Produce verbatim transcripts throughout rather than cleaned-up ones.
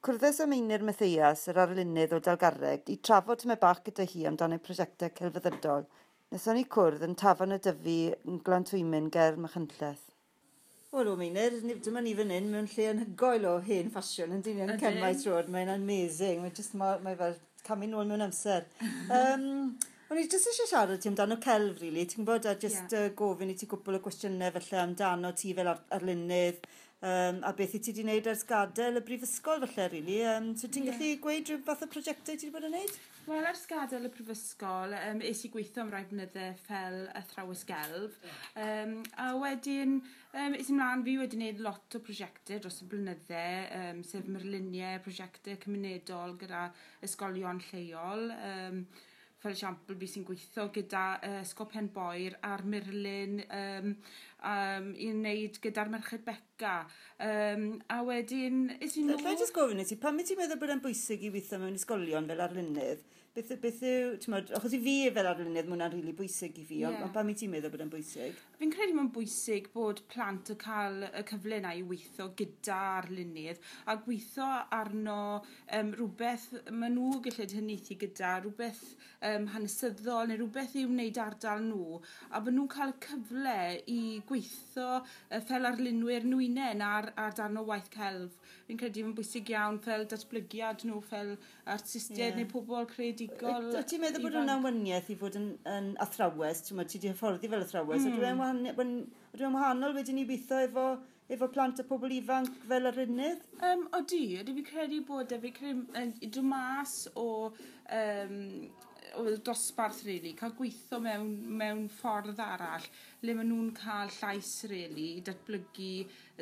Cwrddes â Meinir Mathias, yr arlunydd o Dalgarreg, i trafod tymed bach gyda hi amdano ei prosiectau celfyddydol. Nethon ni cwrdd yn Tafarn y Dyfi yn Glantwymyn ger Machynlleth. Wel, o Meinir, dyma ni fan hyn mewn lle anhygoel o hen ffasiwn yn dyn yn Cemaes Road. Mae'n amazing. Mae'n just, mae, mae fel camu nôl mewn amser. um, o'n i jyst eisiau siarad ti amdano celf, really. Ti'n gwybod, a just yeah. uh, gofyn i ti gwpl o gwestiynau felly amdano ti fel ar arlunydd, um, a beth i ti wedi gwneud ers gadael y brifysgol felly, really. Um, so ti'n yeah. gallu gweud rhyw fath o prosiectau ti wedi bod yn gwneud? Wel, ers gadael y prifysgol, um, es i gweithio am rai blynydde fel athrawes gelf. Um, a wedyn, um, es i mlaen, fi wedi gwneud lot o prosiectau dros y blynydde, um, sef murluniau, prosiectau cymunedol gyda ysgolion lleol. Um, fel esiampl, fi sy'n gweithio gyda uh, Ysgol Penboyr a'r murlun um, um, i wneud gyda'r Merched Beca. Um, a wedyn, es i nôl. Alla i jyst gofyn i ti, pam wyt ti'n meddwl bod e'n bwysig i weithio mewn ysgolion fel arlunydd? Beth, beth yw, ti'n meddwl, achos i fi fel arlunydd, mae hwnna'n rili bwysig i fi, yeah. ond pam wyt ti'n meddwl bod e'n bwysig? Fi'n credu mae'n bwysig bod plant yn cael y cyfle yna i weithio gyda arlunydd a gweithio arno um, rhywbeth maen nhw gallu hynaethu gyda, rhywbeth um, hanesyddol neu rhywbeth i wneud ardal nhw, a bod nhw'n cael y cyfle i gweithio uh, fel arlunwyr nhw hunain ar, ar darn o waith celf. Fi'n credu mae'n bwysig iawn fel datblygiad nhw fel artistiaid yeah. neu pobl creadigol. Wyt ti'n meddwl bod hwnna'n waniaeth i fod yn, yn athrawes? Ti'n meddwl, ti wedi hyfforddi fel athrawes. Mm. Ydw e'n wahanol wedyn i weithio efo, efo plant a pobl ifanc fel arlunydd? Um, odi, odi fi'n credu bod e, fi'n credu dod mas o, um, o dosbarth, really, cael gweithio mewn, mewn ffordd arall, le maen nhw'n cael llais, really, i datblygu,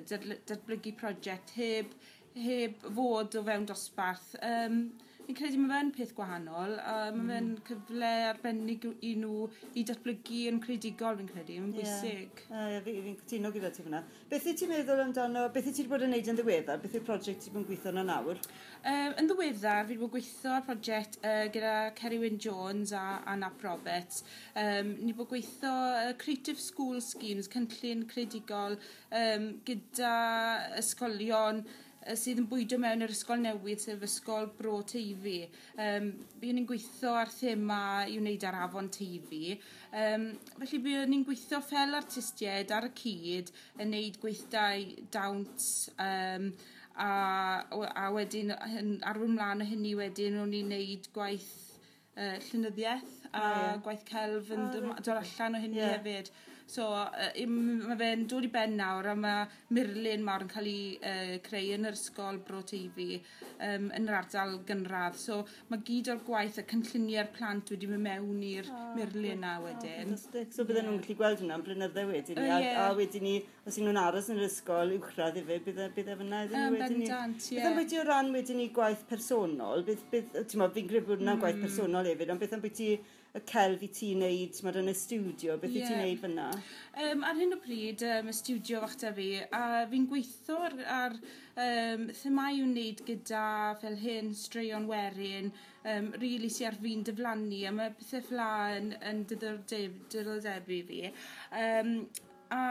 datblygu prosiect heb, heb fod o fewn dosbarth. Um, fi'n credu mae fe'n peth gwahanol, a mae mm. fe'n cyfle arbennig i nhw i datblygu yn creadigol, fi'n credu, mae'n bwysig. Yeah. Uh, fi, fi'n cytuno gyda ti fyna. Beth wyt ti'n meddwl amdano, beth wyt ti wedi bod yn neud yn ddiweddar? Beth yw'r prosiect ti wedi bod yn gweithio arno nawr? Um, yn ddiweddar, fi wedi bod yn gweithio ar prosiect uh, gyda Kerry Wyn Jones a Anna Roberts. Um, ni wedi bod gweithio uh, Creative School Schemes, cynllun creadigol um, gyda ysgolion sydd yn bwydo mewn i'r ysgol newydd, sef Ysgol Bro Teifi. Um, buon ni'n gweithio ar thema i wneud ar afon Teifi. Um, felly buon ni'n gweithio fel artistiaid ar y cyd yn wneud gweithdai dawns, um, a, a wedyn arwain mlaen o hynny wedyn o'n i'n wneud gwaith uh, llunyddiaeth a oh, yeah. gwaith celf yn oh, dod allan o hynny yeah. hefyd. So uh, mae fe'n dod i ben nawr a mae murlun mawr yn cael ei uh, creu yn yr ysgol Bro Teifi um, yn yr ardal gynradd. So mae gyd o'r gwaith a cynlluniau'r plant wedi mynd mewn i'r oh, murlun na wedyn. Oh, fantastic. So bydden yeah. nhw'n gallu gweld hwnna am blynydde wedyn ni. Uh, yeah. a, a wedyn ni, os y'n nhw'n aros yn yr ysgol uwchradd hefyd, bydde, bydde fyna iddyn nhw wedyn ni. Bendant, ie. Beth am bwyty o ran wedyn ni gwaith personol? Beth, beth, ti'n meddwl, fi'n credu bod hwnna'n mm. gwaith personol hefyd, ond beth am bwyty y celf i ti'n neud, ti'n meddwl, yn y stiwdio, beth yeah. i ti'n neud fyna? Um, ar hyn o bryd, um, y stiwdio fach da fi, a fi'n gweithio ar, ar um, themâu i'w wneud gyda fel hyn, straeon werin, um, really sy ar fi'n diflannu, a mae pethau fel 'na yn, yn diddordebu fi. Um, a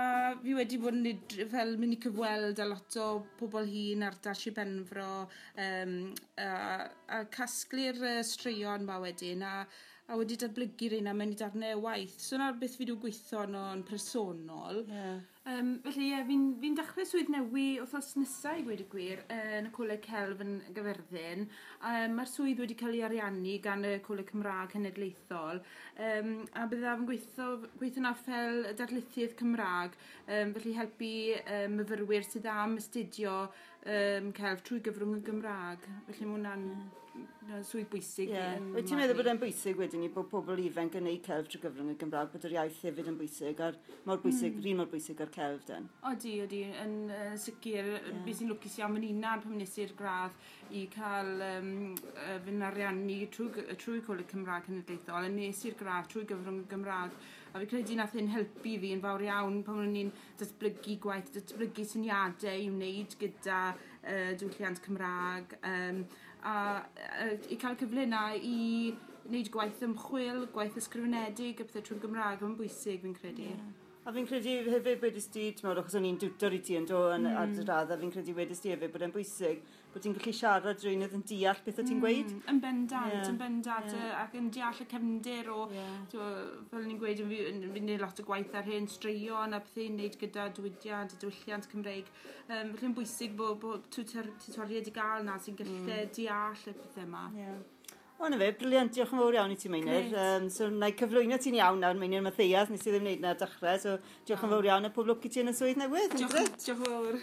fi wedi bod yn fel mynd i cyfweld â lot o pobl hŷn ar Sir Benfro, um, a, a casglu'r uh, straeon ma wedyn, a, a wedi datblygu'r un a mewn i darnau o waith. So 'na beth fi wedi gweithio arno yn personol. Yeah. Um, felly ie, yeah, fi'n fi dechrau swydd newi wythnos nesaf i gweud y gwir yn y Coleg Celf yn Gyfyrddin. Um, Mae'r swydd wedi cael ei ariannu gan y Coleg Cymraeg Cenedlaethol. Um, a byddaf yn gweithio, gweithio na fel darlithydd Cymraeg, um, felly helpu um, myfyrwyr sydd am astudio um, celf trwy gyfrwng y Gymraeg. Felly mae hwnna'n yeah. swydd bwysig. Yeah. Wyt ti'n meddwl bod e'n bwysig wedyn ni bod pobl ifanc yn neud celf trwy gyfrwng y Gymraeg, bod yr iaith hefyd yn bwysig, a'r mor bwysig, mm. un mor bwysig ar celf den? Odi, odi, yn uh, sicr, yeah. Fi sy'n lwcus iawn yn unan pan nes i'r gradd i cael um, uh, fy ariannu trwy, trwy Coleg Cymraeg Cenedlaethol, a nes i'r gradd trwy gyfrwng y Gymraeg. A fi credu nath hyn helpu fi yn fawr iawn pan o'n i'n datblygu gwaith, datblygu syniadau i wneud gyda uh, diwylliant Cymraeg, um, a uh, i cael cyfle yna i wneud gwaith ymchwil, gwaith ysgrifenedig a pethau trwy'r Gymraeg yn bwysig fi'n credu. Yeah. A fi'n credu hefyd wedys di, ti'n meddwl, achos o'n i'n diwtor i ti yn do yn mm. ar dy radd, a fi'n credu wedys di hefyd bod e'n bwysig bod ti'n gallu siarad rhywun oedd yn deall beth o ti'n gweud. Mm, yn bendant, yeah. yn bendant, yeah. Ac yn deall y cefndir o, yeah. Fel ni'n gweud, fi'n gwneud lot o gwaith ar hen straeon a pethau'n wneud gyda diwydiant a diwylliant Cymreig. Um, felly'n bwysig bod, bod tutoriaid i gael na sy'n gallu mm. deall y pethau yma. Yeah. O, na fe, brilliant, diolch yn fawr iawn i ti, Meinir. Um, so, na i cyflwyno ti'n iawn nawr, Meinir Mathias, nes i ddim wneud na'r dechrau, so diolch yn fawr iawn a pob lwc i ti yn y swydd newydd. Diolch, diolch yn fawr.